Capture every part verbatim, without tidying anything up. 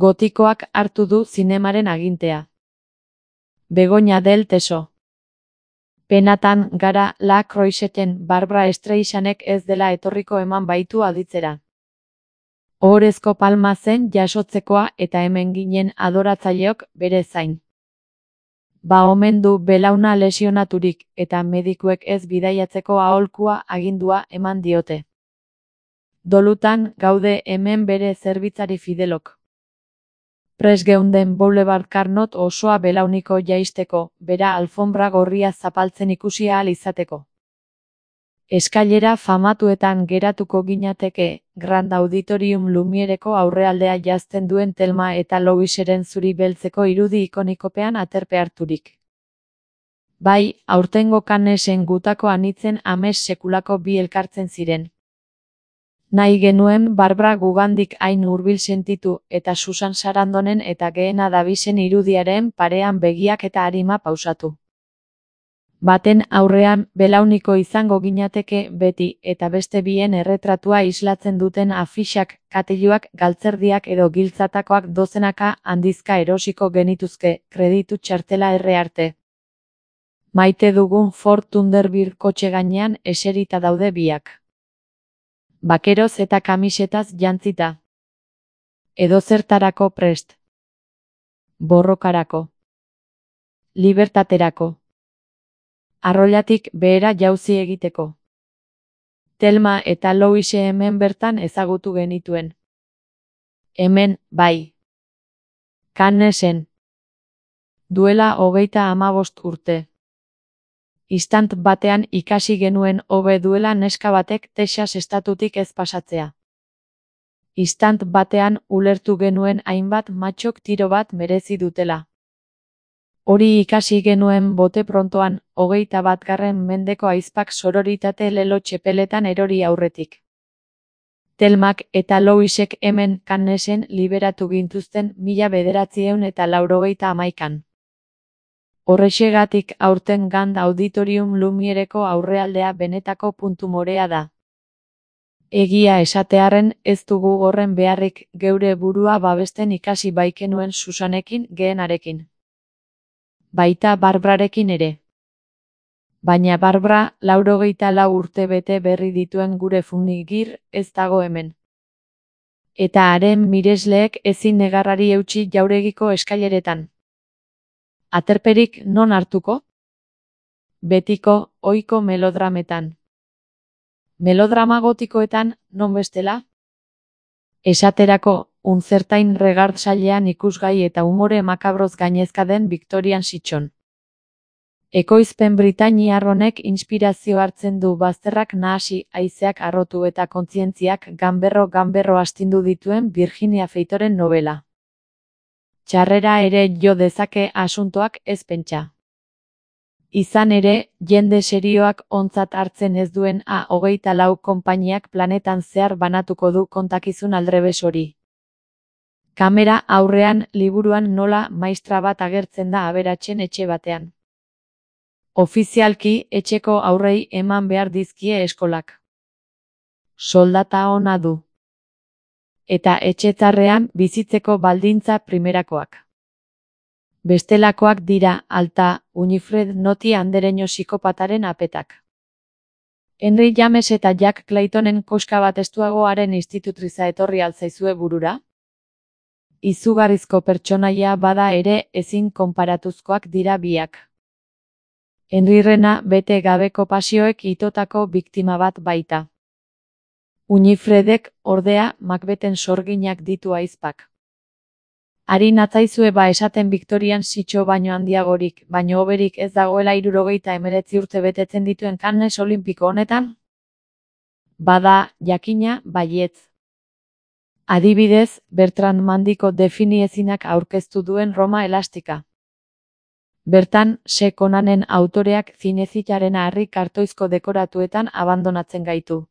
Gotikoak hartu du zinemaren agintea. Begoña del Teso. Penatan gara La Croixeten Barbra Streisanek ez dela etorriko eman baitu aditzera. Ohorezko palma zen jasotzekoa eta hemen ginen adoratzaileok bere zain. Ba omen du belauna lesionaturik eta medikuek ez bidaiatzeko aholkua agindua eman diote. Dolutan gaude hemen bere zerbitzari fidelok. Prest geunden Boulevard Carnot osoa belauniko jaisteko, bera alfombra gorria zapaltzen ikusi ahal izateko. Eskailera famatuetan geratuko ginateke, Grand Auditorium Lumiereko aurrealdea jazten duen Thelma eta Louiseren zuri beltzeko irudi ikonikopean aterpe harturik. Bai, aurtengo Cannesen gutako anitzen amets sekulako bi elkartzen ziren. Nahi genuen Barbra gugandik hain hurbil sentitu eta Susan Sarandonen eta Geena Davisen irudiaren parean begiak eta arima pausatu. Baten aurrean belauniko izango ginateke beti eta beste bien erretratua islatzen duten afixak, katiluak, galtzerdiak edo giltzatakoak dozenaka handizka erosiko genituzke, kreditu txartela erre arte. Maite dugun Ford Thunderbird kotxe gainean eserita daude biak. Bakeroz eta kamisetaz jantzita. Edozertarako prest. Borrokarako. Libertaterako. Arroilatik behera jauzi egiteko. Thelma eta Louise hemen bertan ezagutu genituen. Hemen, bai. Cannesen. Duela hogeita hamabost urte. Istant batean ikasi genuen hobe duela neska batek Texas estatutik ez pasatzea. Istant batean ulertu genuen hainbat matxok tiro bat merezi dutela. Hori ikasi genuen bote prontoan, hogeita batgarren mendeko aizpak sororitate lelo txepeletan erori aurretik. Thelmak eta Louisek hemen Cannesen liberatu gintuzten mila bederatziehun eta laurogeita hamaikan. Horrexegatik aurten Grand Auditorium Lumiereko aurrealdea benetako puntu morea da. Egia esatearren ez dugu horren beharrik geure burua babesten ikasi baikenuen Susanekin Geenarekin. Baita Barbrarekin ere. Baina Barbra laurogeita lau urte bete berri dituen gure funigir ez dago hemen. Eta haren miresleek ezin negarrari eutsi jauregiko eskaileretan. Aterperik non hartuko? Betiko, ohiko melodrametan. Melodrama gotikoetan, non bestela? Esaterako, unzertain regardsailean ikusgai eta umore makabroz gainezka den Victorian sitxon. Ekoizpen britainiar honek inspirazio hartzen du bazterrak nahasi, haizeak harrotu eta kontzientziak ganberro-ganberro astindu dituen Virginia Feitoren novela. Txarrera ere jo dezake asuntoak ez pentsa. Izan ere, jende serioak ontzat hartzen ez duen A hogeita lau konpainiak planetan zehar banatuko du kontakizun aldrebes hori. Kamera aurrean liburuan nola maistra bat agertzen da aberatsen etxe batean. Ofizialki etxeko aurrei eman behar dizkie eskolak. Soldata ona du. Eta etxetzarrean bizitzeko baldintza primerakoak. Bestelakoak dira alta, Winifred Noti andereño psikopataren apetak. Henry James eta Jack Claytonen koska bat estuagoaren institutriza etorri altzaizue burura? Izugarrizko pertsonaia bada ere ezin konparatuzkoak dira biak. Henryrena bete gabeko pasioek itotako biktima bat baita. Winifredek, ordea, Macbethen sorginak ditu aizpak. Ari natzaizue ba esaten Victorian sitxo baino handiagorik, baino hoberik ez dagoela hirurogeita hemeretzi urte betetzen dituen Cannes Olimpiko honetan? Bada, jakina, baietz. Adibidez, Bertrand Mandiko definiezinak aurkeztu duen Roma elastika. Bertan, Se Conanen autoreak zinezitaren harri kartoizko dekoratuetan abandonatzen gaitu.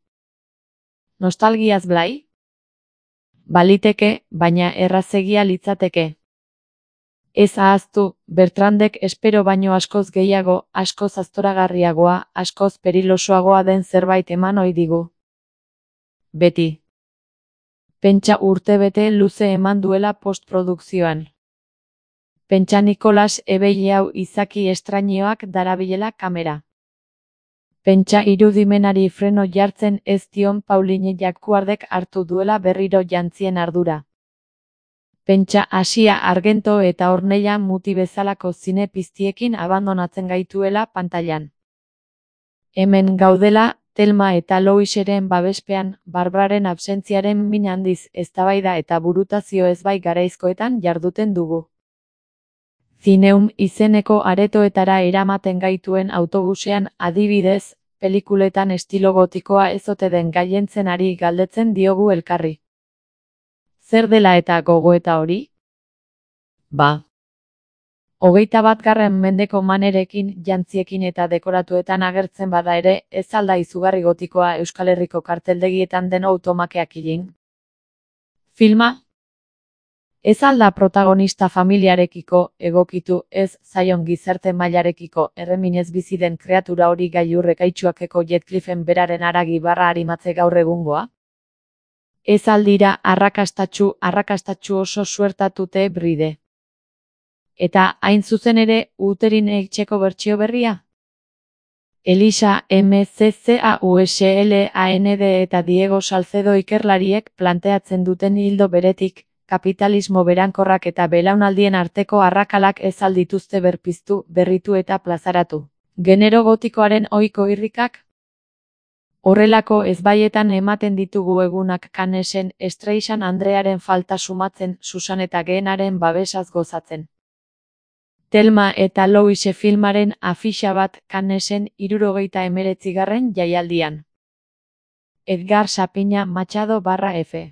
Nostalgiaz blai? Baliteke, baina errazegia litzateke. Ez ahaztu, Bertrandek espero baino askoz gehiago, askoz aztoragarriagoa, askoz perilosoagoa den zerbait eman ohi digu. Beti. Pentsa urtebete luze eman duela postprodukzioan. Pentsa Nikolas ebeile hau izaki estrainioak darabilela kamera. Pentsa irudimenari freno jartzen ez dion Pauline Jacquardek hartu duela berriro jantzien ardura. Pentsa Asia Argento eta Ornella Muti bezalako zine piztiekin abandonatzen gaituela pantailan. Hemen gaudela, Thelma eta Louiseren babespean, Barbraren absentziaren min handiz eztabaida eta burutazio ezbai garaizkoetan jarduten dugu. Zineum izeneko aretoetara eramaten gaituen autobusean adibidez, pelikuletan estilo gotikoa ez ote den gailentzen ari galdetzen diogu elkarri. Zer dela eta gogoeta hori? Ba. Hogeita batgarren mendeko manerekin, jantziekin eta dekoratuetan agertzen bada ere, ez alda izugarri gotikoa Euskal Herriko karteldegietan den automakeak ilin. Filma? Ez alda protagonista familiarekiko, egokitu, ez zaion gizarte mailarekiko, erreminez bizi den kreatura hori gailurrek aitsuakeko Jetcliffen beraren haragi barra arimatze gaur egungoa? Ez aldira arrakastatsu, arrakastatsu oso suertatute bride. Eta, hain zuzen ere, Uterin etxeko bertsio berria? Elisa M C C A U S L A N D eta Diego Salcedo ikerlariek planteatzen duten ildo beretik, kapitalismo berankorrak eta belaunaldien arteko arrakalak ez aldituzte berpiztu, berritu eta plazaratu. Genero gotikoaren ohiko irrikak? Horrelako ezbaietan ematen ditugu egunak Cannesen, Streisand andrearen falta sumatzen, Susan eta Gehenaren babesaz gozatzen. Thelma eta Louise filmaren afixa bat Cannesen hirurogeita hemeretzigarren jaialdian. Edgar Sapina Machado barra F.